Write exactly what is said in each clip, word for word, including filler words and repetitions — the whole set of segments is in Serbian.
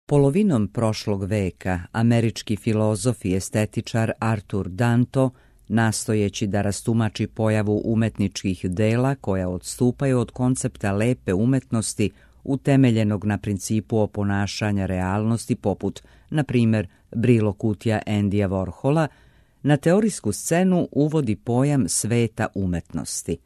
Polovinom prošlog veka američki filozof i estetičar Arthur Danto, nastojeći da rastumači pojavu umetničkih dela koja odstupaju od koncepta lepe umetnosti utemeljenog na principu oponašanja realnosti poput, na primjer, Brilo kutija Andyja Warhola, na teorijsku scenu uvodi pojam sveta umetnosti.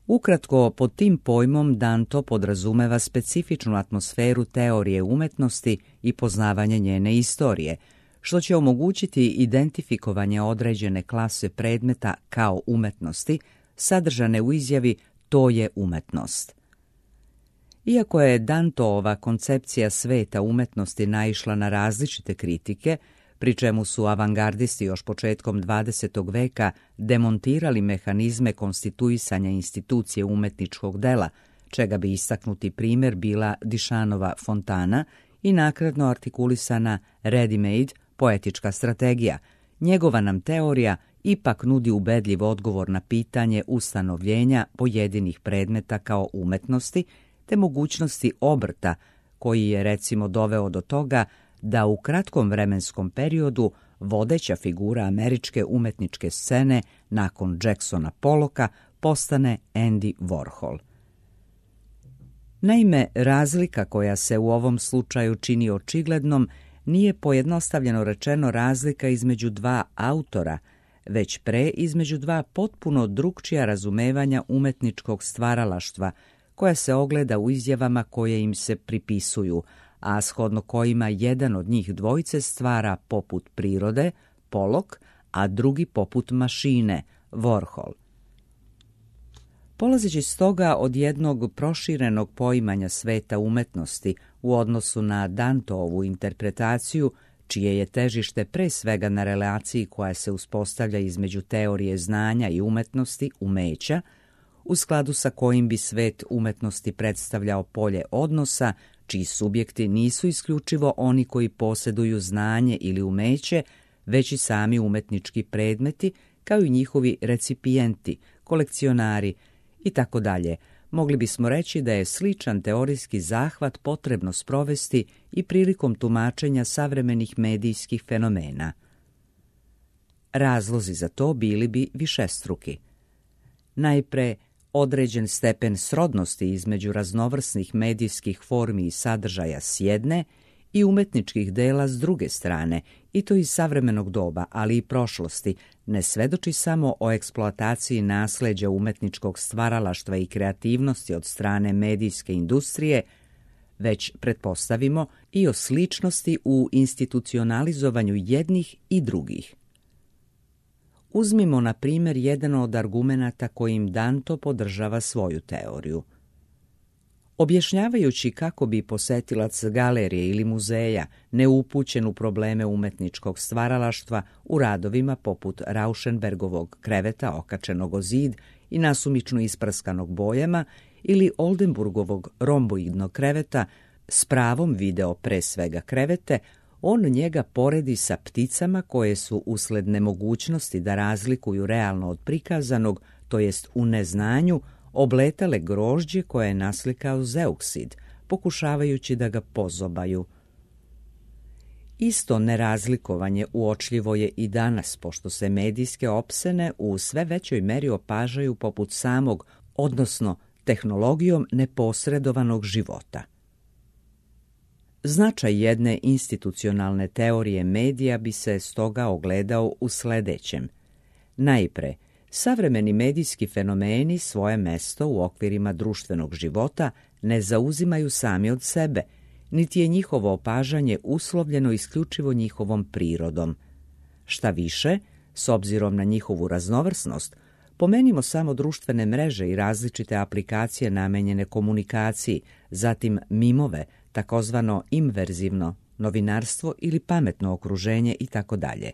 Ukratko, pod tim pojmom Danto podrazumeva specifičnu atmosferu teorije umetnosti i poznavanje njene istorije, što će omogućiti identifikovanje određene klase predmeta kao umetnosti, sadržane u izjavi to je umetnost. Iako je Dantoova koncepcija sveta umetnosti naišla na različite kritike, pri čemu su avangardisti još početkom dvadesetog veka demontirali mehanizme konstituisanja institucije umetničkog dela, čega bi istaknuti primjer bila Dišanova fontana i nakratno artikulisana ready-made poetička strategija, njegova nam teorija ipak nudi ubedljiv odgovor na pitanje ustanovljenja pojedinih predmeta kao umetnosti, te mogućnosti obrta koji je recimo doveo do toga da u kratkom vremenskom periodu vodeća figura američke umetničke scene nakon Jacksona Pollocka postane Andy Warhol. Naime, razlika koja se u ovom slučaju čini očiglednom nije pojednostavljeno rečeno razlika između dva autora, već pre između dva potpuno drukčija razumevanja umetničkog stvaralaštva, koja se ogleda u izjavama koje im se pripisuju, a shodno kojima jedan od njih dvojice stvara poput prirode, Pollock, a drugi poput mašine, Warhol. Polazeći stoga od jednog proširenog poimanja sveta umetnosti u odnosu na Dantovu interpretaciju, čije je težište pre svega na relaciji koja se uspostavlja između teorije znanja i umetnosti, umeća, u skladu sa kojim bi svet umetnosti predstavljao polje odnosa, čiji subjekti nisu isključivo oni koji posjeduju znanje ili umeće, već i sami umetnički predmeti, kao i njihovi recipijenti, kolekcionari i tako dalje. Mogli bismo reći da je sličan teorijski zahvat potrebno sprovesti i prilikom tumačenja savremenih medijskih fenomena. Razlozi za to bili bi višestruki. Najpre, određen stepen srodnosti između raznovrsnih medijskih formi i sadržaja s jedne i umetničkih dela s druge strane, i to iz savremenog doba, ali i prošlosti, ne svedoči samo o eksploataciji nasleđa umetničkog stvaralaštva i kreativnosti od strane medijske industrije, već pretpostavimo i o sličnosti u institucionalizovanju jednih i drugih. Uzmimo, na primjer, jedan od argumenata kojim Danto podržava svoju teoriju. Objašnjavajući kako bi posetilac galerije ili muzeja, neupućen u probleme umetničkog stvaralaštva, u radovima poput Rauschenbergovog kreveta okačenog o zid i nasumično ispraskanog bojama ili Oldenburgovog romboidnog kreveta, s pravom video pre svega krevete, on njega poredi sa pticama koje su usled nemogućnosti da razlikuju realno od prikazanog, to jest u neznanju, obletale grožđe koje je naslikao Zeuksid, pokušavajući da ga pozobaju. Isto nerazlikovanje uočljivo je i danas, pošto se medijske opsene u sve većoj meri opažaju poput samog, odnosno tehnologijom neposredovanog života. Značaj jedne institucionalne teorije medija bi se stoga ogledao u sledećem. Najpre, savremeni medijski fenomeni svoje mesto u okvirima društvenog života ne zauzimaju sami od sebe, niti je njihovo opažanje uslovljeno isključivo njihovom prirodom. Šta više, s obzirom na njihovu raznovrsnost, pomenimo samo društvene mreže i različite aplikacije namenjene komunikaciji, zatim mimove, takozvano imverzivno novinarstvo ili pametno okruženje i tako dalje.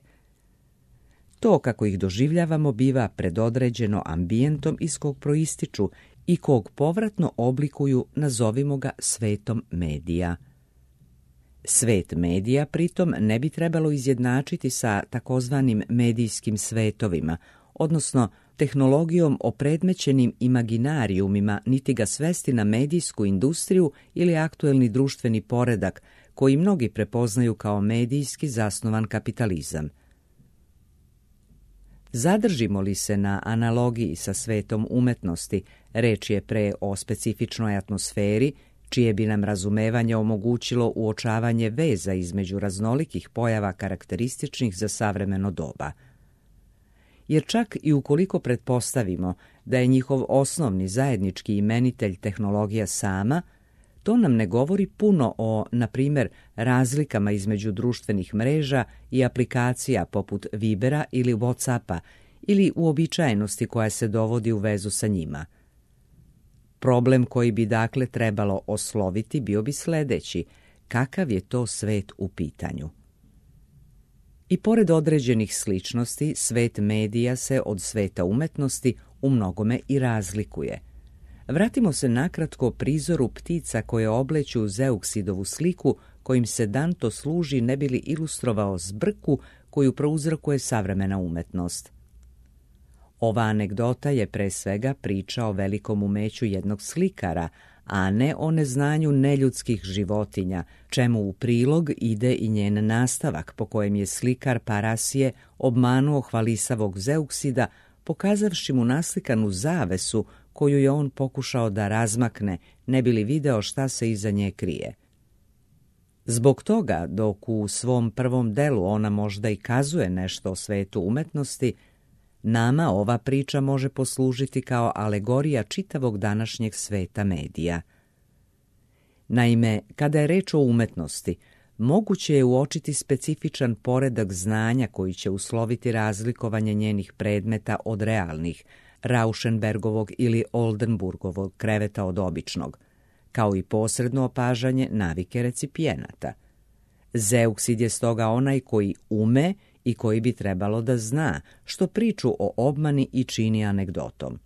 To kako ih doživljavamo biva predodređeno ambijentom iz kog proističu i kog povratno oblikuju, nazovimo ga, svetom medija. Svet medija pritom ne bi trebalo izjednačiti sa takozvanim medijskim svetovima, odnosno tehnologijom opredmećenim imaginarijumima, niti ga svesti na medijsku industriju ili aktuelni društveni poredak, koji mnogi prepoznaju kao medijski zasnovan kapitalizam. Zadržimo li se na analogiji sa svetom umetnosti, reč je pre o specifičnoj atmosferi, čije bi nam razumevanje omogućilo uočavanje veza između raznolikih pojava karakterističnih za savremeno doba. Jer čak i ukoliko pretpostavimo da je njihov osnovni zajednički imenitelj tehnologija sama, to nam ne govori puno o, na primjer, razlikama između društvenih mreža i aplikacija poput Vibera ili Whatsappa ili uobičajenosti koja se dovodi u vezu sa njima. Problem koji bi dakle trebalo osloviti bio bi sljedeći: kakav je to svet u pitanju? I pored određenih sličnosti, svet medija se od sveta umetnosti u mnogome i razlikuje. Vratimo se nakratko prizoru ptica koje obleću Zeuksidovu sliku kojim se Danto služi ne bi li ilustrovao zbrku koju prouzrokuje savremena umetnost. Ova anegdota je pre svega priča o velikom umeću jednog slikara, a ne o neznanju neljudskih životinja, čemu u prilog ide i njen nastavak po kojem je slikar Parasije obmanuo hvalisavog Zeuksida, pokazavši mu naslikanu zavesu koju je on pokušao da razmakne, ne bi li video šta se iza nje krije. Zbog toga, dok u svom prvom delu ona možda i kazuje nešto o svetu umetnosti, nama ova priča može poslužiti kao alegorija čitavog današnjeg sveta medija. Naime, kada je reč o umetnosti, moguće je uočiti specifičan poredak znanja koji će usloviti razlikovanje njenih predmeta od realnih, Rauschenbergovog ili Oldenburgovog kreveta od običnog, kao i posredno opažanje navike recipijenata. Zeuksid je stoga onaj koji ume i koji bi trebalo da zna, što priču o obmani i čini anegdotom.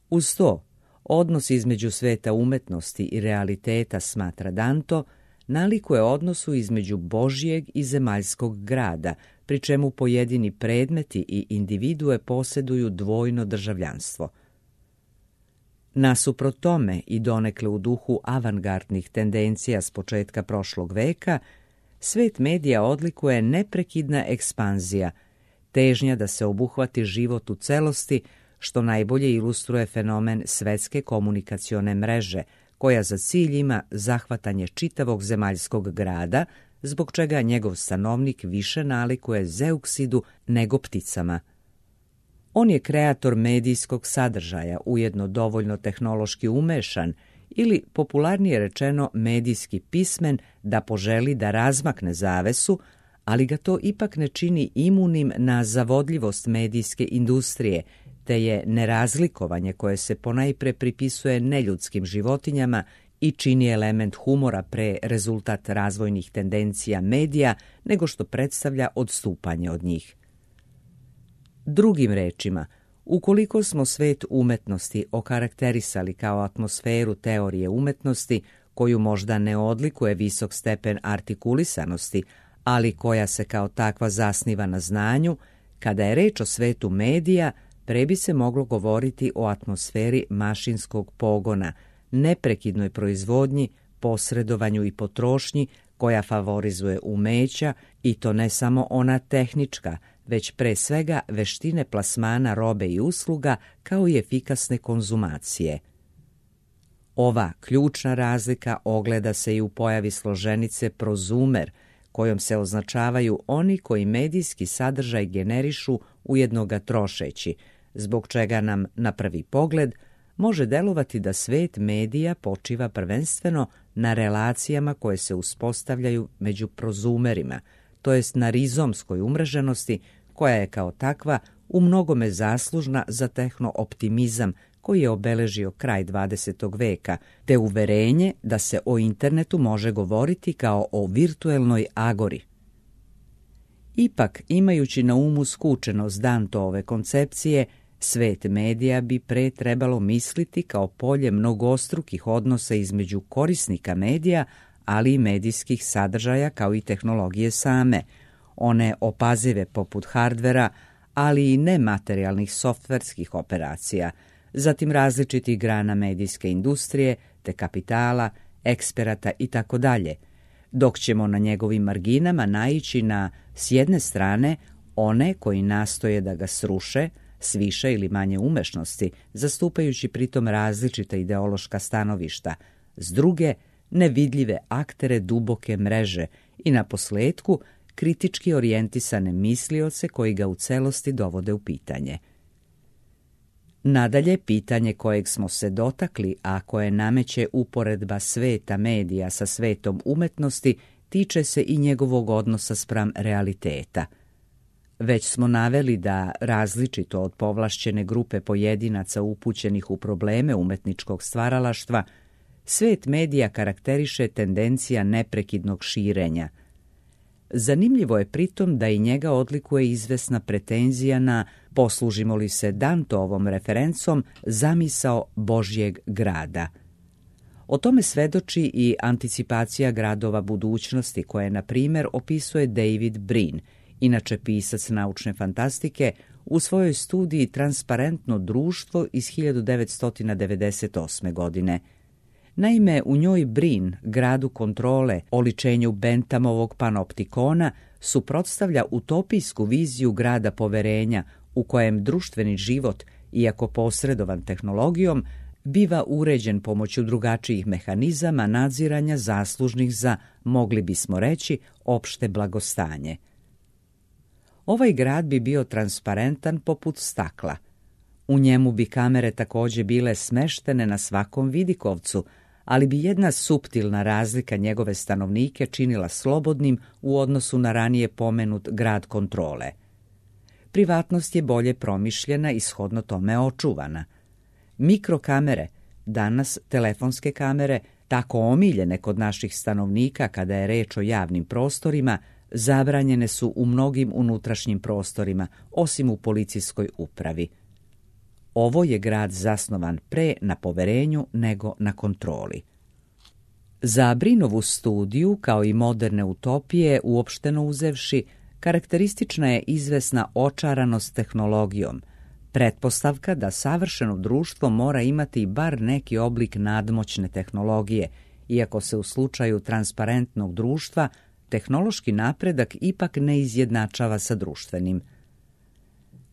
Uz to, odnos između sveta umetnosti i realiteta, smatra Danto, nalikuje odnosu između Božjeg i zemaljskog grada, pri čemu pojedini predmeti i individue posjeduju dvojno državljanstvo. Nasuprot tome i donekle u duhu avangardnih tendencija s početka prošlog veka, svet medija odlikuje neprekidna ekspanzija, težnja da se obuhvati život u celosti, što najbolje ilustruje fenomen svetske komunikacione mreže, koja za cilj ima zahvatanje čitavog zemaljskog grada, zbog čega njegov stanovnik više nalikuje Zeuksidu nego pticama. On je kreator medijskog sadržaja, ujedno dovoljno tehnološki umešan ili, popularnije rečeno, medijski pismen da poželi da razmakne zavesu, ali ga to ipak ne čini imunim na zavodljivost medijske industrije, te je nerazlikovanje koje se ponajpre pripisuje neljudskim životinjama i čini element humora pre rezultat razvojnih tendencija medija nego što predstavlja odstupanje od njih. Drugim rečima, ukoliko smo svet umetnosti okarakterisali kao atmosferu teorije umetnosti, koju možda ne odlikuje visok stepen artikulisanosti, ali koja se kao takva zasniva na znanju, kada je reč o svetu medija, pre bi se moglo govoriti o atmosferi mašinskog pogona, neprekidnoj proizvodnji, posredovanju i potrošnji koja favorizuje umeća, i to ne samo ona tehnička, već pre svega veštine plasmana robe i usluga kao i efikasne konzumacije. Ova ključna razlika ogleda se i u pojavi složenice prozumer, kojom se označavaju oni koji medijski sadržaj generišu ujedno ga trošeći, zbog čega nam na prvi pogled može delovati da svet medija počiva prvenstveno na relacijama koje se uspostavljaju među prozumerima, to jest na rizomskoj umreženosti koja je kao takva u mnogome zaslužna za tehno-optimizam koji je obeležio kraj dvadesetog veka, te uverenje da se o internetu može govoriti kao o virtuelnoj agori. Ipak, imajući na umu skučenost Dantove koncepcije, svet medija bi pre trebalo misliti kao polje mnogostrukih odnosa između korisnika medija, ali i medijskih sadržaja kao i tehnologije same, one opazive poput hardvera, ali i nematerijalnih softverskih operacija, zatim različitih grana medijske industrije, te kapitala, eksperata itd., dok ćemo na njegovim marginama naići na, s jedne strane, one koji nastoje da ga sruše, s više ili manje umešnosti, zastupajući pritom različita ideološka stanovišta, s druge, nevidljive aktere duboke mreže i na posletku kritički orijentisane mislioce koji ga u celosti dovode u pitanje. Nadalje, pitanje kojeg smo se dotakli, a koje nameće uporedba sveta medija sa svetom umetnosti, tiče se i njegovog odnosa spram realiteta. Već smo naveli da, različito od povlašćene grupe pojedinaca upućenih u probleme umetničkog stvaralaštva, svet medija karakteriše tendencija neprekidnog širenja. Zanimljivo je pritom da i njega odlikuje izvesna pretenzija na, poslužimo li se Danteovom referencom, zamisao Božjeg grada. O tome svedoči i anticipacija gradova budućnosti koje, na primjer, opisuje David Brin, inače pisac naučne fantastike, u svojoj studiji Transparentno društvo iz hiljadu devetsto devedeset osme. godine. Naime, u njoj Brin, gradu kontrole, oličenju Benthamovog panoptikona, suprotstavlja utopijsku viziju grada poverenja u kojem društveni život, iako posredovan tehnologijom, biva uređen pomoću drugačijih mehanizama nadziranja zaslužnih za, mogli bismo reći, opšte blagostanje. Ovaj grad bi bio transparentan poput stakla. U njemu bi kamere također bile smeštene na svakom vidikovcu, ali bi jedna suptilna razlika njegove stanovnike činila slobodnim u odnosu na ranije pomenut grad kontrole. Privatnost je bolje promišljena i shodno tome očuvana. Mikrokamere, danas telefonske kamere, tako omiljene kod naših stanovnika kada je reč o javnim prostorima, zabranjene su u mnogim unutrašnjim prostorima, osim u policijskoj upravi. Ovo je grad zasnovan pre na poverenju nego na kontroli. Za Brinovu studiju, kao i moderne utopije, uopšteno uzevši, karakteristična je izvesna očaranost tehnologijom, pretpostavka da savršeno društvo mora imati bar neki oblik nadmoćne tehnologije, iako se u slučaju transparentnog društva tehnološki napredak ipak ne izjednačava sa društvenim.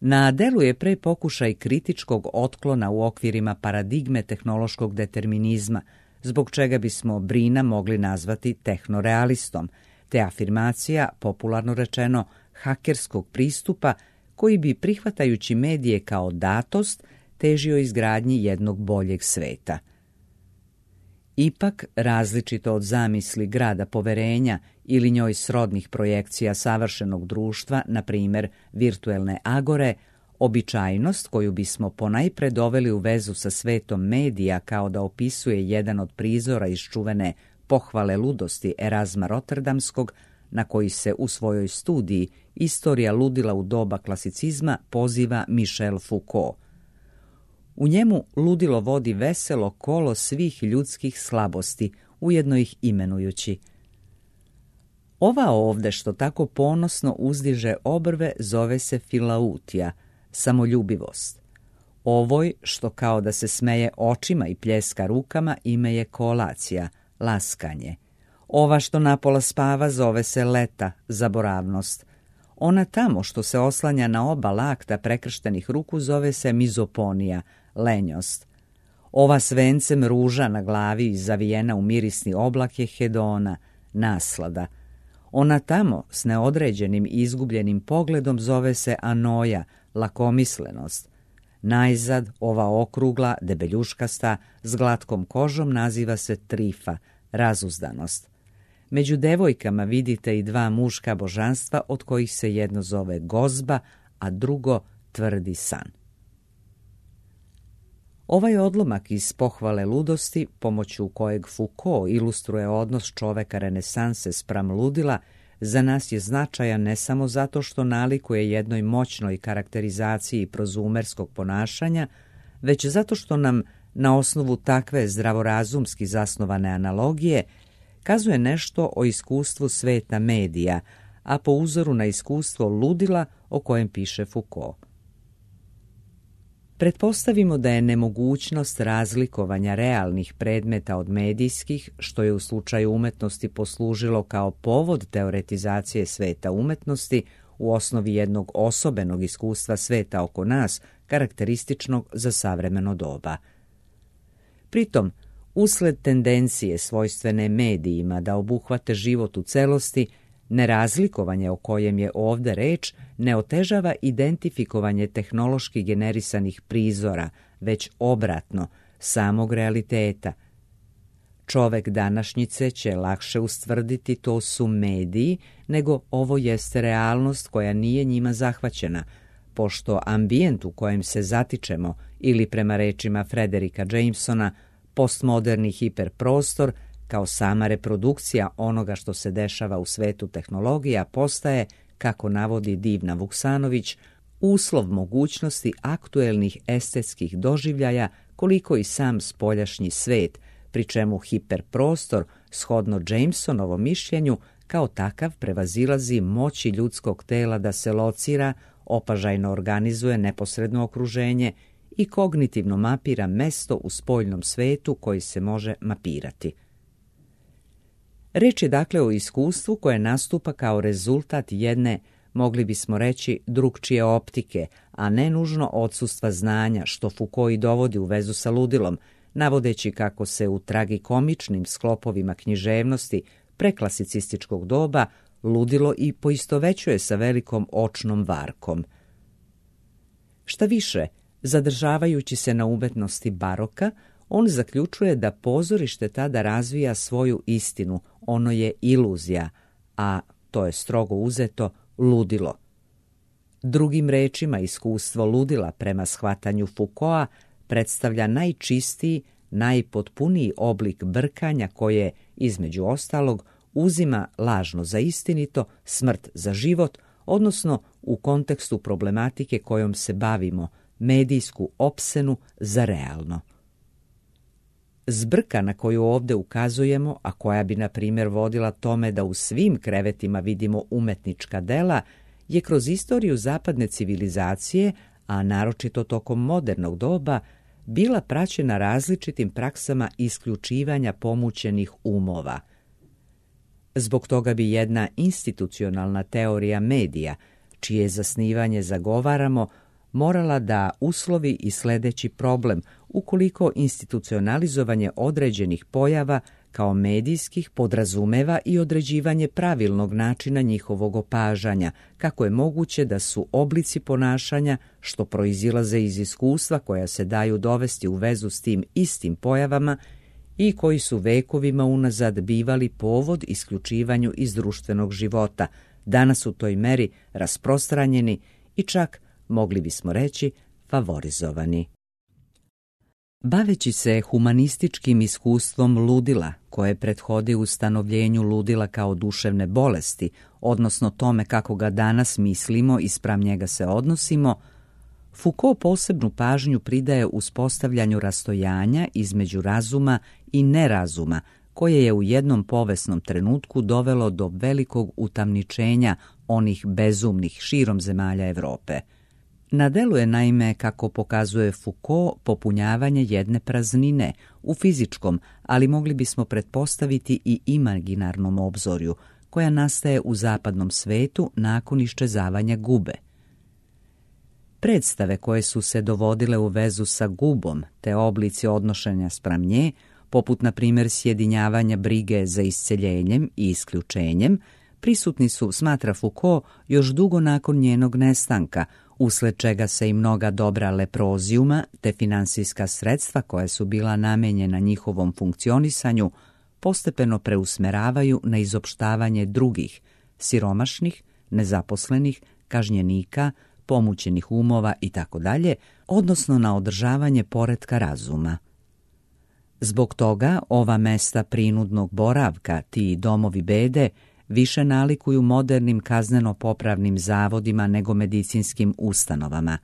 Na delu je pre pokušaj kritičkog otklona u okvirima paradigme tehnološkog determinizma, zbog čega bismo Brina mogli nazvati tehnorealistom, te afirmacija, popularno rečeno, hakerskog pristupa koji bi, prihvatajući medije kao datost, težio izgradnji jednog boljeg sveta. Ipak, različito od zamisli grada poverenja ili njoj srodnih projekcija savršenog društva, na primjer virtuelne agore, običajnost koju bismo ponajpre doveli u vezu sa svetom medija kao da opisuje jedan od prizora iz čuvene Pohvale ludosti Erazma Rotterdamskog, na koji se u svojoj studiji Istorija ludila u doba klasicizma poziva Michel Foucault. U njemu ludilo vodi veselo kolo svih ljudskih slabosti, ujedno ih imenujući. Ova ovde što tako ponosno uzdiže obrve zove se filautija, samoljubivost. Ovoj što kao da se smeje očima i pljeska rukama ime je koalacija, laskanje. Ova što napola spava zove se leta, zaboravnost. Ona tamo što se oslanja na oba lakta prekrštenih ruku zove se mizoponija, lenjost. Ova s vencem ruža na glavi i zavijena u mirisni oblak je hedona, naslada. Ona tamo s neodređenim i izgubljenim pogledom zove se anoja, lakomislenost. Najzad ova okrugla, debeljuškasta, s glatkom kožom naziva se trifa, razuzdanost. Među devojkama vidite i dva muška božanstva od kojih se jedno zove gozba, a drugo tvrdi san. Ovaj odlomak iz Pohvale ludosti, pomoću kojeg Foucault ilustruje odnos čoveka renesanse spram ludila, za nas je značajan ne samo zato što nalikuje jednoj moćnoj karakterizaciji prozumerskog ponašanja, već zato što nam na osnovu takve zdravorazumski zasnovane analogije kazuje nešto o iskustvu sveta medija, a po uzoru na iskustvo ludila o kojem piše Foucault. Pretpostavimo da je nemogućnost razlikovanja realnih predmeta od medijskih, što je u slučaju umetnosti poslužilo kao povod teoretizacije sveta umetnosti, u osnovi jednog osobenog iskustva sveta oko nas, karakterističnog za savremeno doba. Pritom, usled tendencije svojstvene medijima da obuhvate život u celosti, nerazlikovanje o kojem je ovde reč ne otežava identifikovanje tehnološki generisanih prizora, već obratno, samog realiteta. Čovek današnjice će lakše ustvrditi to su mediji, nego ovo jeste realnost koja nije njima zahvaćena, pošto ambijent u kojem se zatičemo, ili prema rečima Frederika Jamesona, postmoderni hiperprostor, kao sama reprodukcija onoga što se dešava u svetu tehnologija, postaje, kako navodi Divna Vuksanović, uslov mogućnosti aktuelnih estetskih doživljaja koliko i sam spoljašnji svet, pri čemu hiperprostor, shodno Jamesonovom mišljenju, kao takav prevazilazi moći ljudskog tela da se locira, opažajno organizuje neposredno okruženje i kognitivno mapira mesto u spoljnom svetu koji se može mapirati. Reč je dakle o iskustvu koje nastupa kao rezultat jedne, mogli bismo reći, drugčije optike, a ne nužno odsustva znanja, što Foucault i dovodi u vezu sa ludilom, navodeći kako se u tragikomičnim sklopovima književnosti preklasicističkog doba ludilo i poistovećuje sa velikom očnom varkom. Šta više, zadržavajući se na umetnosti baroka, on zaključuje da pozorište tada razvija svoju istinu, ono je iluzija, a to je strogo uzeto ludilo. Drugim rečima, iskustvo ludila prema shvatanju Foucaulta predstavlja najčistiji, najpotpuniji oblik brkanja koje, između ostalog, uzima lažno za istinito, smrt za život, odnosno u kontekstu problematike kojom se bavimo, medijsku opsenu za realno. Zbrka na koju ovde ukazujemo, a koja bi, na primjer, vodila tome da u svim krevetima vidimo umetnička dela, je kroz istoriju zapadne civilizacije, a naročito tokom modernog doba, bila praćena različitim praksama isključivanja pomućenih umova. Zbog toga bi jedna institucionalna teorija medija, čije zasnivanje zagovaramo, morala da uslovi i sledeći problem ukoliko institucionalizovanje određenih pojava kao medijskih podrazumeva i određivanje pravilnog načina njihovog opažanja, kako je moguće da su oblici ponašanja, što proizilaze iz iskustva koja se daju dovesti u vezu s tim istim pojavama i koji su vekovima unazad bivali povod isključivanju iz društvenog života, danas u toj meri rasprostranjeni i čak, mogli bismo reći, favorizovani. Baveći se humanističkim iskustvom ludila, koje prethodi ustanovljenju ludila kao duševne bolesti, odnosno tome kako ga danas mislimo i spram njega se odnosimo, Foucault posebnu pažnju pridaje uspostavljanju rastojanja između razuma i nerazuma, koje je u jednom povesnom trenutku dovelo do velikog utamničenja onih bezumnih širom zemalja Evrope. Na delu je, naime, kako pokazuje Foucault, popunjavanje jedne praznine u fizičkom, ali mogli bismo pretpostaviti i imaginarnom obzorju, koja nastaje u zapadnom svetu nakon iščezavanja gube. Predstave koje su se dovodile u vezu sa gubom, te oblici odnošenja spram nje, poput na primjer sjedinjavanja brige za isceljenjem i isključenjem, prisutni su, smatra Foucault, još dugo nakon njenog nestanka, usled čega se i mnoga dobra leprozijuma te finansijska sredstva koja su bila namenjena njihovom funkcionisanju postepeno preusmeravaju na izopštavanje drugih, siromašnih, nezaposlenih, kažnjenika, pomućenih umova itd., odnosno na održavanje poretka razuma. Zbog toga ova mesta prinudnog boravka, ti domovi bede, više nalikuju modernim kazneno-popravnim zavodima nego medicinskim ustanovama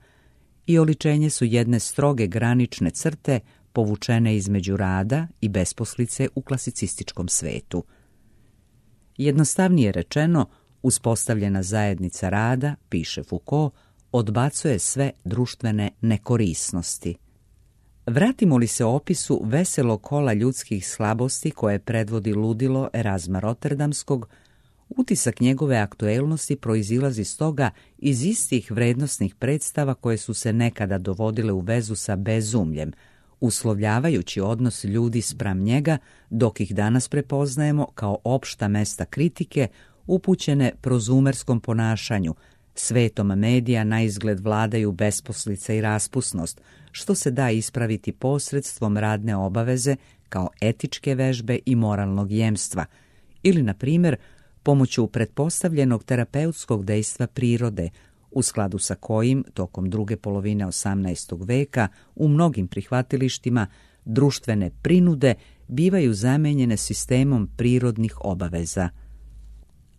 i oličenje su jedne stroge granične crte povučene između rada i besposlice u klasicističkom svetu. Jednostavnije rečeno, Uspostavljena zajednica rada, piše Foucault, odbacuje sve društvene nekorisnosti. Vratimo li se opisu veselog kola ljudskih slabosti koje predvodi ludilo Erazma Rotterdamskog, utisak njegove aktuelnosti proizilazi stoga iz istih vrednosnih predstava koje su se nekada dovodile u vezu sa bezumljem, uslovljavajući odnos ljudi spram njega, dok ih danas prepoznajemo kao opšta mesta kritike upućene prozumerskom ponašanju. Svetom medija na izgled vladaju besposlica i raspusnost, što se da ispraviti posredstvom radne obaveze kao etičke vežbe i moralnog jemstva, ili, na primjer, pomoću pretpostavljenog terapeutskog dejstva prirode, u skladu sa kojim, tokom druge polovine osamnaestog veka, u mnogim prihvatilištima društvene prinude bivaju zamenjene sistemom prirodnih obaveza.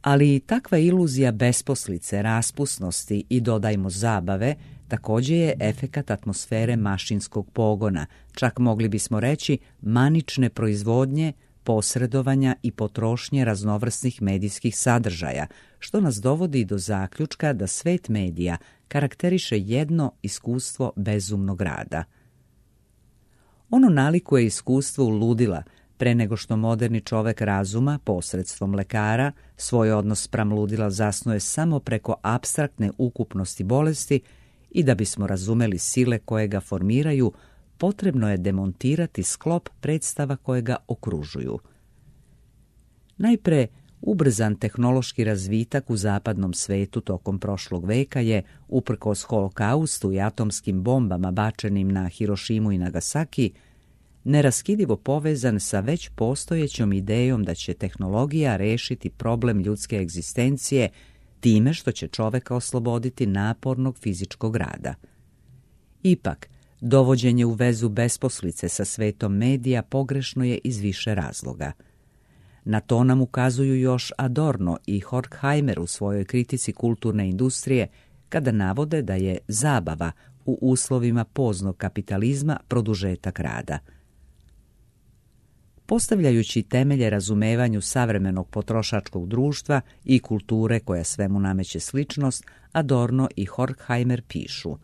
Ali i takva iluzija besposlice, raspusnosti i, dodajmo, zabave također je efekat atmosfere mašinskog pogona, čak mogli bismo reći manične proizvodnje, posredovanja i potrošnje raznovrsnih medijskih sadržaja, što nas dovodi do zaključka da svet medija karakteriše jedno iskustvo bezumnog rada. Ono nalikuje iskustvo ludila, pre nego što moderni čovek razuma, posredstvom lekara, svoj odnos spram ludila zasnuje samo preko apstraktne ukupnosti bolesti i da bismo razumeli sile koje ga formiraju, potrebno je demontirati sklop predstava koje ga okružuju. Najpre, ubrzan tehnološki razvitak u zapadnom svetu tokom prošlog veka je, uprkos holokaustu i atomskim bombama bačenim na Hirošimu i Nagasaki, neraskidivo povezan sa već postojećom idejom da će tehnologija rešiti problem ljudske egzistencije time što će čoveka osloboditi napornog fizičkog rada. Ipak, dovođenje u vezu besposlice sa svetom medija pogrešno je iz više razloga. Na to nam ukazuju još Adorno i Horkheimer u svojoj kritici kulturne industrije, kada navode da je zabava u uslovima poznog kapitalizma produžetak rada. Postavljajući temelje razumevanju savremenog potrošačkog društva i kulture koja svemu nameće sličnost, Adorno i Horkheimer pišu: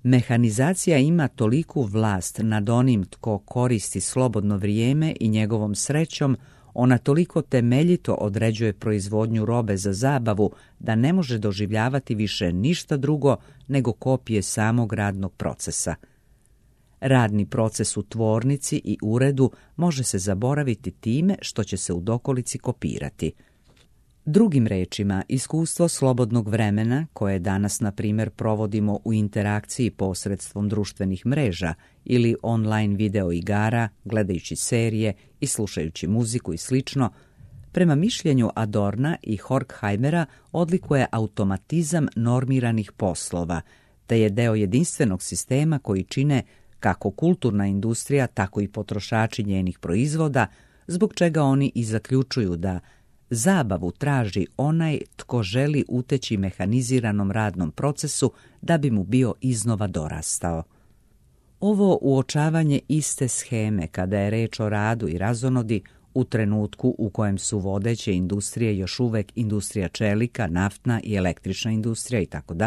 mehanizacija ima toliku vlast nad onim tko koristi slobodno vrijeme i njegovom srećom, ona toliko temeljito određuje proizvodnju robe za zabavu da ne može doživljavati više ništa drugo nego kopije samog radnog procesa. Radni proces u tvornici i uredu može se zaboraviti time što će se u dokolici kopirati. Drugim rečima, iskustvo slobodnog vremena, koje danas, na primjer, provodimo u interakciji posredstvom društvenih mreža ili online video igara, gledajući serije i slušajući muziku i slično, prema mišljenju Adorna i Horkheimera odlikuje automatizam normiranih poslova, te je deo jedinstvenog sistema koji čine kako kulturna industrija, tako i potrošači njenih proizvoda, zbog čega oni i zaključuju da zabavu traži onaj tko želi uteći mehaniziranom radnom procesu da bi mu bio iznova dorastao. Ovo uočavanje iste sheme kada je reč o radu i razonodi u trenutku u kojem su vodeće industrije još uvek industrija čelika, naftna i električna industrija itd.,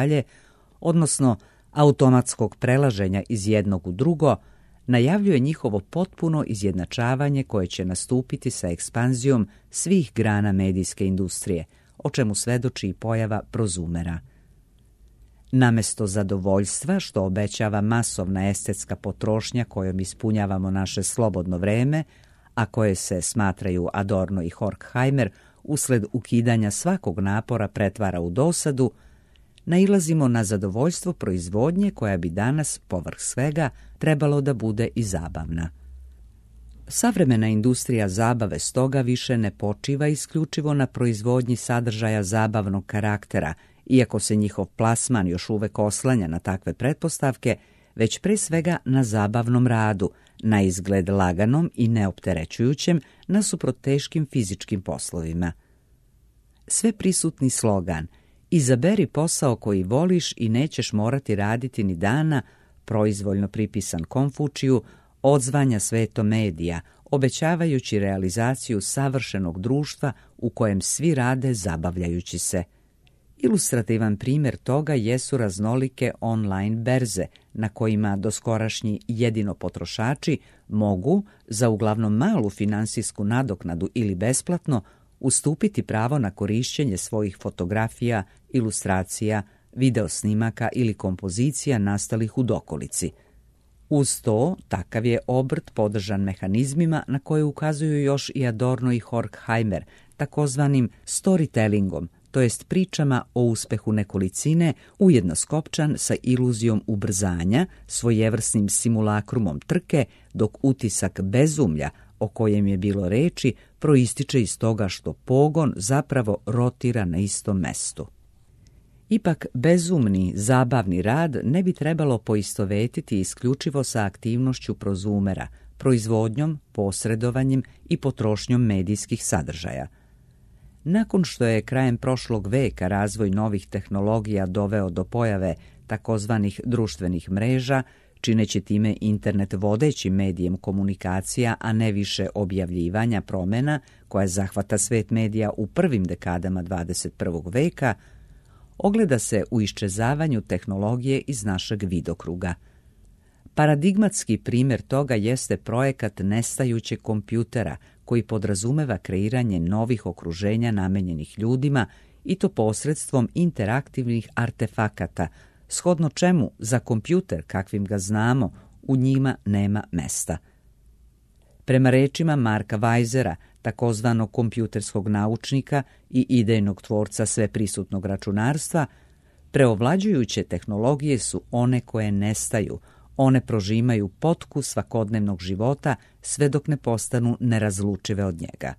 odnosno automatskog prelaženja iz jednog u drugo, najavljuje njihovo potpuno izjednačavanje koje će nastupiti sa ekspanzijom svih grana medijske industrije, o čemu svedoči i pojava prozumera. Namesto zadovoljstva, što obećava masovna estetska potrošnja kojom ispunjavamo naše slobodno vreme, a koje se, smatraju Adorno i Horkheimer, usled ukidanja svakog napora pretvara u dosadu, nailazimo na zadovoljstvo proizvodnje koja bi danas, povrh svega, trebalo da bude i zabavna. Savremena industrija zabave stoga više ne počiva isključivo na proizvodnji sadržaja zabavnog karaktera, iako se njihov plasman još uvek oslanja na takve pretpostavke, već pre svega na zabavnom radu, na izgled laganom i neopterećujućem nasuprot teškim fizičkim poslovima. Sve prisutni slogan "Izaberi posao koji voliš i nećeš morati raditi ni dana", proizvoljno pripisan Konfučiju, odzvanja svetom medija, obećavajući realizaciju savršenog društva u kojem svi rade zabavljajući se. Ilustrativan primjer toga jesu raznolike online berze na kojima doskorašnji jedino potrošači mogu, za uglavnom malu finansijsku nadoknadu ili besplatno, ustupiti pravo na korišćenje svojih fotografija, ilustracija, videosnimaka ili kompozicija nastalih u dokolici. Uz to, takav je obrt podržan mehanizmima na koje ukazuju još i Adorno i Horkheimer, takozvanim storytellingom, to jest pričama o uspehu nekolicine, ujedno skopčan sa iluzijom ubrzanja, svojevrsnim simulakrumom trke, dok utisak bezumlja, o kojem je bilo reči, proističe iz toga što pogon zapravo rotira na istom mestu. Ipak bezumni, zabavni rad ne bi trebalo poistovetiti isključivo sa aktivnošću prozumera, proizvodnjom, posredovanjem i potrošnjom medijskih sadržaja. Nakon što je krajem prošlog veka razvoj novih tehnologija doveo do pojave takozvanih društvenih mreža, čineći time internet vodećim medijem komunikacija, a ne više objavljivanja promjena koja zahvata svet medija u prvim dekadama dvadeset prvog veka, ogleda se u iščezavanju tehnologije iz našeg vidokruga. Paradigmatski primjer toga jeste projekat nestajućeg kompjutera, koji podrazumeva kreiranje novih okruženja namenjenih ljudima i to posredstvom interaktivnih artefakata, shodno čemu za kompjuter kakvim ga znamo u njima nema mesta. Prema rečima Marka Weisera, takozvanog kompjuterskog naučnika i idejnog tvorca sveprisutnog računarstva, preovlađujuće tehnologije su one koje nestaju, one prožimaju potku svakodnevnog života sve dok ne postanu nerazlučive od njega.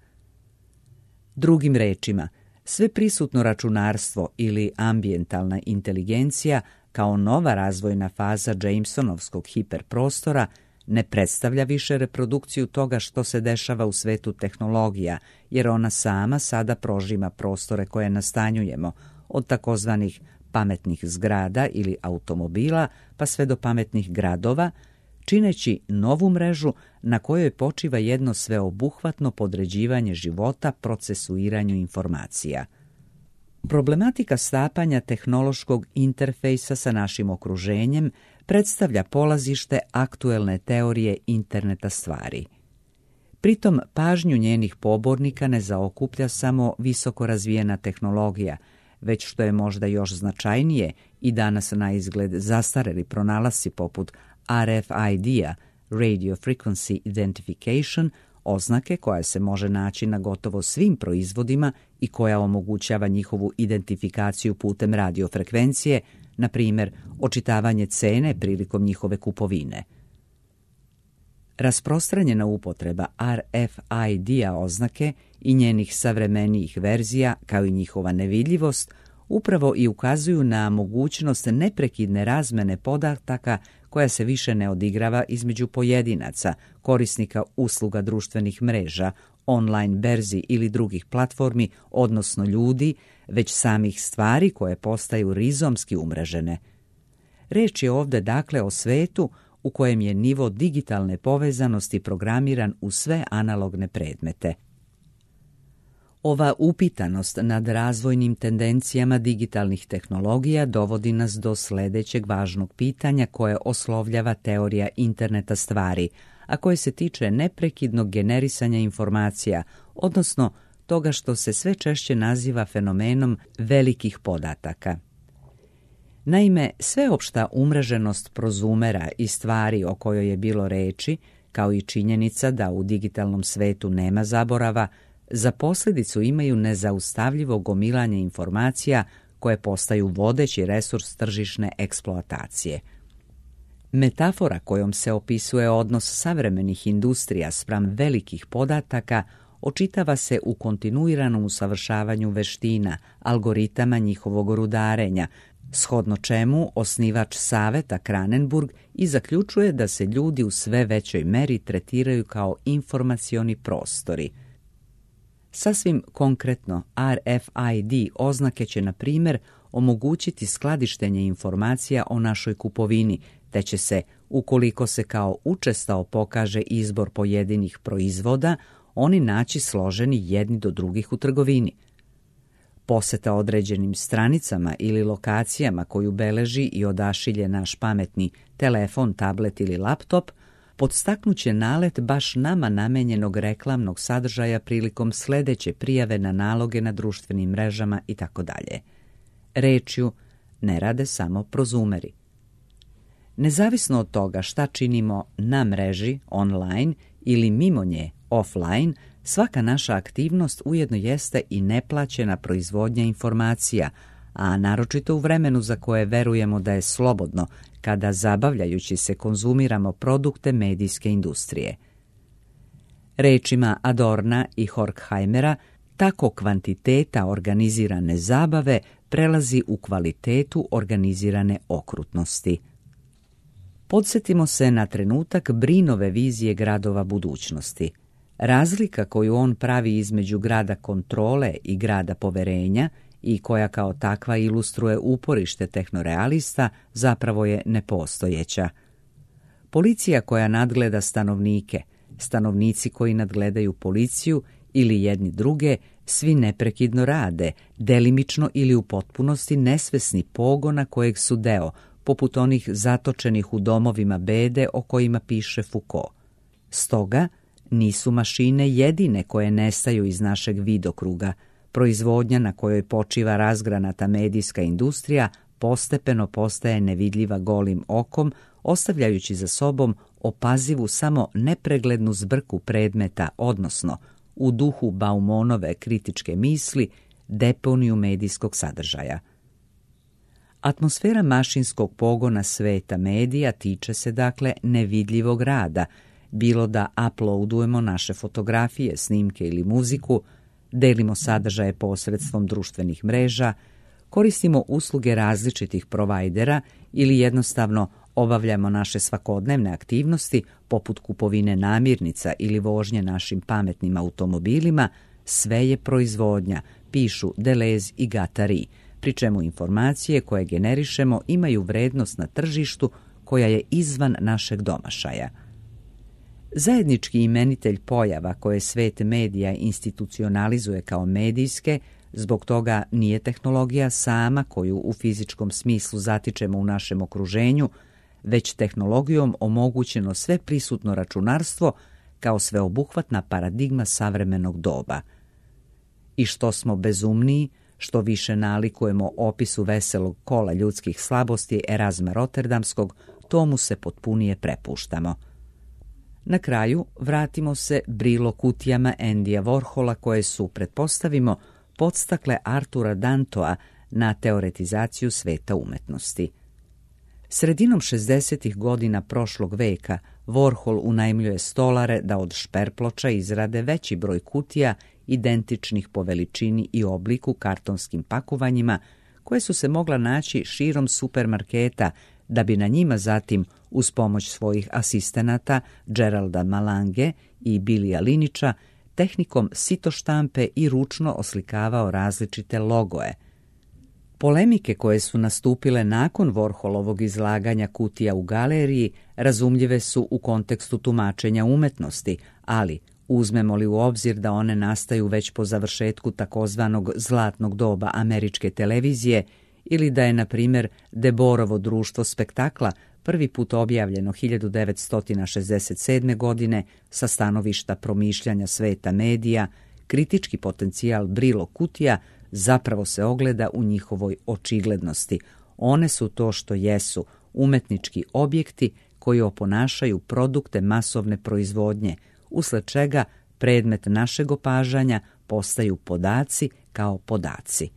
Drugim rečima, sveprisutno računarstvo ili ambijentalna inteligencija kao nova razvojna faza Jamesonovskog hiperprostora ne predstavlja više reprodukciju toga što se dešava u svetu tehnologija, jer ona sama sada prožima prostore koje nastanjujemo, od takozvanih pametnih zgrada ili automobila pa sve do pametnih gradova, čineći novu mrežu na kojoj počiva jedno sveobuhvatno podređivanje života procesuiranju informacija. Problematika stapanja tehnološkog interfejsa sa našim okruženjem predstavlja polazište aktuelne teorije interneta stvari. Pritom pažnju njenih pobornika ne zaokuplja samo visoko razvijena tehnologija, već što je možda još značajnije i danas na izgled zastareli pronalasci poput R F I D-a, Radio Frequency Identification, oznake koja se može naći na gotovo svim proizvodima i koja omogućava njihovu identifikaciju putem radiofrekvencije, na primjer očitavanje cene prilikom njihove kupovine. Rasprostranjena upotreba R F I D-a oznake i njenih savremenijih verzija, kao i njihova nevidljivost, upravo i ukazuju na mogućnost neprekidne razmene podataka koja se više ne odigrava između pojedinaca, korisnika usluga društvenih mreža, online berzi ili drugih platformi, odnosno ljudi, već samih stvari koje postaju rizomski umrežene. Reč je ovdje dakle o svetu u kojem je nivo digitalne povezanosti programiran u sve analogne predmete. Ova upitanost nad razvojnim tendencijama digitalnih tehnologija dovodi nas do sljedećeg važnog pitanja koje oslovljava teorija interneta stvari, a koje se tiče neprekidnog generisanja informacija, odnosno toga što se sve češće naziva fenomenom velikih podataka. Naime, sveopšta umreženost prozumera i stvari o kojoj je bilo reči, kao i činjenica da u digitalnom svetu nema zaborava, za posljedicu imaju nezaustavljivo gomilanje informacija koje postaju vodeći resurs tržišne eksploatacije. Metafora kojom se opisuje odnos savremenih industrija spram velikih podataka očitava se u kontinuiranom usavršavanju veština, algoritama njihovog rudarenja, shodno čemu osnivač saveta Kranenburg i zaključuje da se ljudi u sve većoj meri tretiraju kao informacioni prostori. Sasvim konkretno, R F I D oznake će, na primjer, omogućiti skladištenje informacija o našoj kupovini, te će se, ukoliko se kao učestao pokaže izbor pojedinih proizvoda, oni naći složeni jedni do drugih u trgovini. Poseta određenim stranicama ili lokacijama koju beleži i odašilje naš pametni telefon, tablet ili laptop podstaknuće nalet baš nama namenjenog reklamnog sadržaja prilikom sledeće prijave na naloge na društvenim mrežama itd. Rečju, ne rade samo prozumeri. Nezavisno od toga šta činimo na mreži, online ili mimo nje, offline, svaka naša aktivnost ujedno jeste i neplaćena proizvodnja informacija, a naročito u vremenu za koje verujemo da je slobodno, kada zabavljajući se konzumiramo produkte medijske industrije. Rečima Adorna i Horkheimera, tako kvantiteta organizirane zabave prelazi u kvalitetu organizirane okrutnosti. Podsjetimo se na trenutak Brinove vizije gradova budućnosti. Razlika koju on pravi između grada kontrole i grada poverenja i koja kao takva ilustruje uporište tehnorealista zapravo je nepostojeća. Policija koja nadgleda stanovnike, stanovnici koji nadgledaju policiju ili jedni druge, svi neprekidno rade, delimično ili u potpunosti nesvesni pogona kojeg su deo, poput onih zatočenih u domovima bede o kojima piše Foucault. Stoga, nisu mašine jedine koje nestaju iz našeg vidokruga. Proizvodnja na kojoj počiva razgranata medijska industrija postepeno postaje nevidljiva golim okom, ostavljajući za sobom opazivu samo nepreglednu zbrku predmeta, odnosno, u duhu Baumonove kritičke misli, deponiju medijskog sadržaja. Atmosfera mašinskog pogona sveta medija tiče se dakle nevidljivog rada, bilo da uploadujemo naše fotografije, snimke ili muziku, delimo sadržaje posredstvom društvenih mreža, koristimo usluge različitih provajdera ili jednostavno obavljamo naše svakodnevne aktivnosti poput kupovine namirnica ili vožnje našim pametnim automobilima, sve je proizvodnja, pišu Deleuze i Guattari, pri čemu informacije koje generišemo imaju vrednost na tržištu koja je izvan našeg domašaja. Zajednički imenitelj pojava koje svet medija institucionalizuje kao medijske, zbog toga nije tehnologija sama koju u fizičkom smislu zatičemo u našem okruženju, već tehnologijom omogućeno sve prisutno računarstvo kao sveobuhvatna paradigma savremenog doba. I što smo bezumniji, što više nalikujemo opisu veselog kola ljudskih slabosti Erazma Rotterdamskog, tomu se potpunije prepuštamo. Na kraju vratimo se Brillo kutijama Andyja Warhola koje su, pretpostavimo, podstakle Artura Dantoa na teoretizaciju sveta umetnosti. Sredinom šezdesetih godina prošlog veka Warhol unajmljuje stolare da od šperploča izrade veći broj kutija identičnih po veličini i obliku kartonskim pakovanjima koje su se mogla naći širom supermarketa da bi na njima zatim, uz pomoć svojih asistenata Geralda Malange i Bilija Linića, tehnikom sitoštampe i ručno oslikavao različite logoje. Polemike koje su nastupile nakon Warholovog izlaganja kutija u galeriji razumljive su u kontekstu tumačenja umetnosti, ali uzmemo li u obzir da one nastaju već po završetku takozvanog zlatnog doba američke televizije ili da je, na primjer, Deborovo društvo spektakla prvi put objavljeno hiljadu devetsto šezdeset sedme. godine sa stanovišta promišljanja sveta medija, kritički potencijal Brillo kutija zapravo se ogleda u njihovoj očiglednosti. One su to što jesu, umetnički objekti koji oponašaju produkte masovne proizvodnje, usled čega predmet našeg opažanja postaju podaci kao podaci.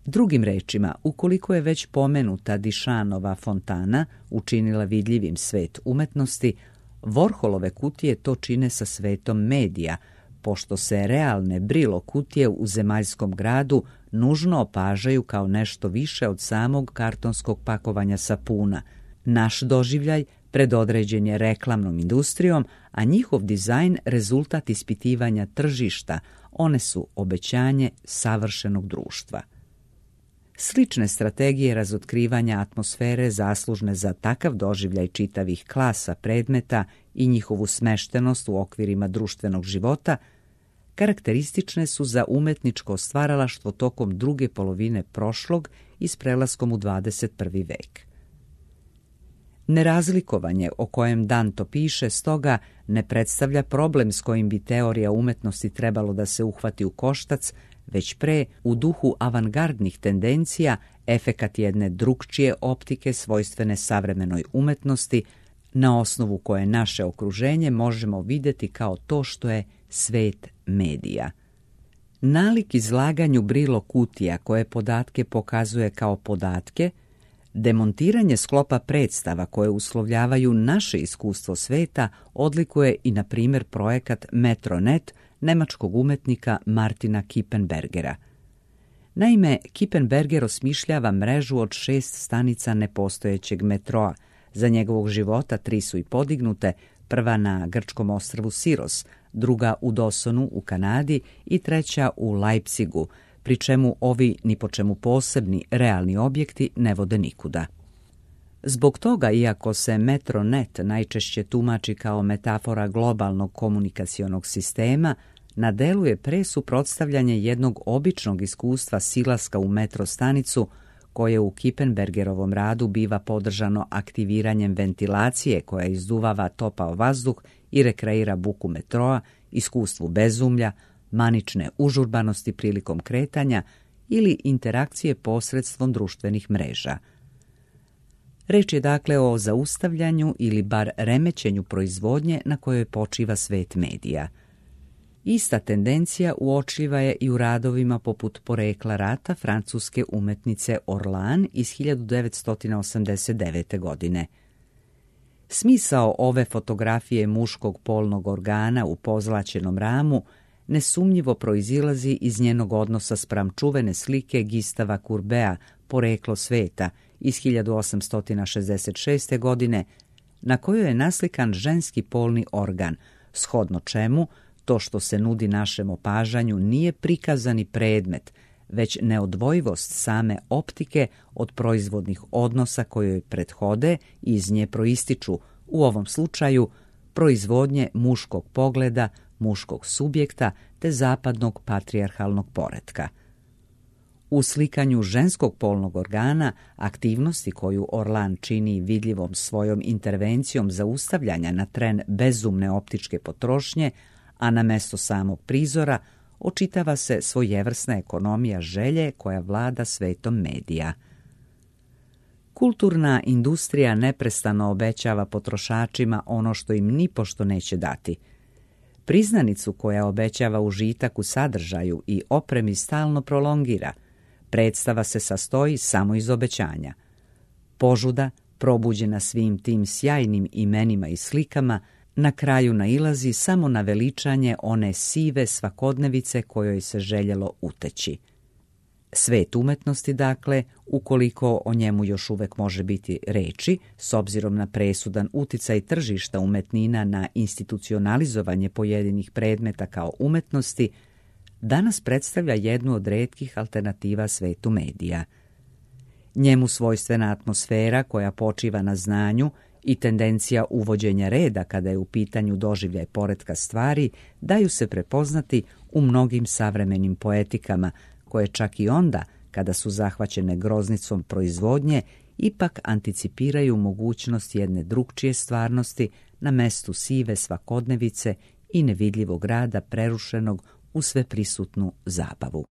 Drugim rečima, ukoliko je već pomenuta Dišanova fontana učinila vidljivim svet umetnosti, Warholove kutije to čine sa svetom medija, pošto se realne Brillo kutije u zemaljskom gradu nužno opažaju kao nešto više od samog kartonskog pakovanja sapuna. Naš doživljaj predodređen je reklamnom industrijom, a njihov dizajn rezultat ispitivanja tržišta, one su obećanje savršenog društva. Slične strategije razotkrivanja atmosfere zaslužne za takav doživljaj čitavih klasa predmeta i njihovu smeštenost u okvirima društvenog života karakteristične su za umetničko stvaralaštvo tokom druge polovine prošlog i s prelaskom u dvadeset prvi vek. Nerazlikovanje o kojem Danto piše stoga ne predstavlja problem s kojim bi teorija umetnosti trebalo da se uhvati u koštac, već pre, u duhu avangardnih tendencija, efekat jedne drukčije optike svojstvene savremenoj umetnosti, na osnovu koje naše okruženje možemo vidjeti kao to što je svet medija. Nalik izlaganju Brilo kutija koje podatke pokazuje kao podatke, demontiranje sklopa predstava koje uslovljavaju naše iskustvo sveta odlikuje i, na primjer, projekat Metronet nemačkog umetnika Martina Kippenbergera. Naime, Kippenberger osmišljava mrežu od šest stanica nepostojećeg metroa. Za njegovog života tri su i podignute, prva na grčkom ostrvu Siros, druga u Dawsonu u Kanadi i treća u Leipzigu, pri čemu ovi ni po čemu posebni realni objekti ne vode nikuda. Zbog toga, iako se Metronet najčešće tumači kao metafora globalnog komunikacionog sistema, na delu je pre suprotstavljanje jednog običnog iskustva silaska u metro stanicu, koje u Kippenbergerovom radu biva podržano aktiviranjem ventilacije koja izduvava topao vazduh i rekreira buku metroa, iskustvu bezumlja, manične užurbanosti prilikom kretanja ili interakcije posredstvom društvenih mreža. Reč je dakle o zaustavljanju ili bar remećenju proizvodnje na kojoj počiva svet medija. Ista tendencija uočljiva je i u radovima poput Porekla rata francuske umetnice Orlan iz hiljadu devetsto osamdeset devete. godine. Smisao ove fotografije muškog polnog organa u pozlaćenom ramu nesumnjivo proizilazi iz njenog odnosa spram čuvene slike Gustava Courbeta Poreklo sveta iz hiljadu osamsto šezdeset šeste. godine, na kojoj je naslikan ženski polni organ, shodno čemu to što se nudi našem opažanju nije prikazani predmet, već neodvojivost same optike od proizvodnih odnosa koje prethode i iz nje proističu, u ovom slučaju, proizvodnje muškog pogleda, muškog subjekta te zapadnog patrijarhalnog poretka. U slikanju ženskog polnog organa, aktivnosti koju Orlan čini vidljivom svojom intervencijom zaustavljanja na tren bezumne optičke potrošnje, a na mesto samog prizora očitava se svojevrsna ekonomija želje koja vlada svetom medija. Kulturna industrija neprestano obećava potrošačima ono što im nipošto neće dati. Priznanicu koja obećava užitak u sadržaju i opremi stalno prolongira. Predstava se sastoji samo iz obećanja. Požuda, probuđena svim tim sjajnim imenima i slikama, na kraju nailazi samo na veličanje one sive svakodnevice kojoj se željelo uteći. Svet umetnosti, dakle, ukoliko o njemu još uvek može biti reči, s obzirom na presudan uticaj tržišta umetnina na institucionalizovanje pojedinih predmeta kao umetnosti, danas predstavlja jednu od retkih alternativa svetu medija. Njemu svojstvena atmosfera koja počiva na znanju i tendencija uvođenja reda kada je u pitanju doživljaj poretka stvari daju se prepoznati u mnogim savremenim poetikama, koje čak i onda, kada su zahvaćene groznicom proizvodnje, ipak anticipiraju mogućnost jedne drukčije stvarnosti na mestu sive svakodnevice i nevidljivog rada prerušenog u sveprisutnu zabavu.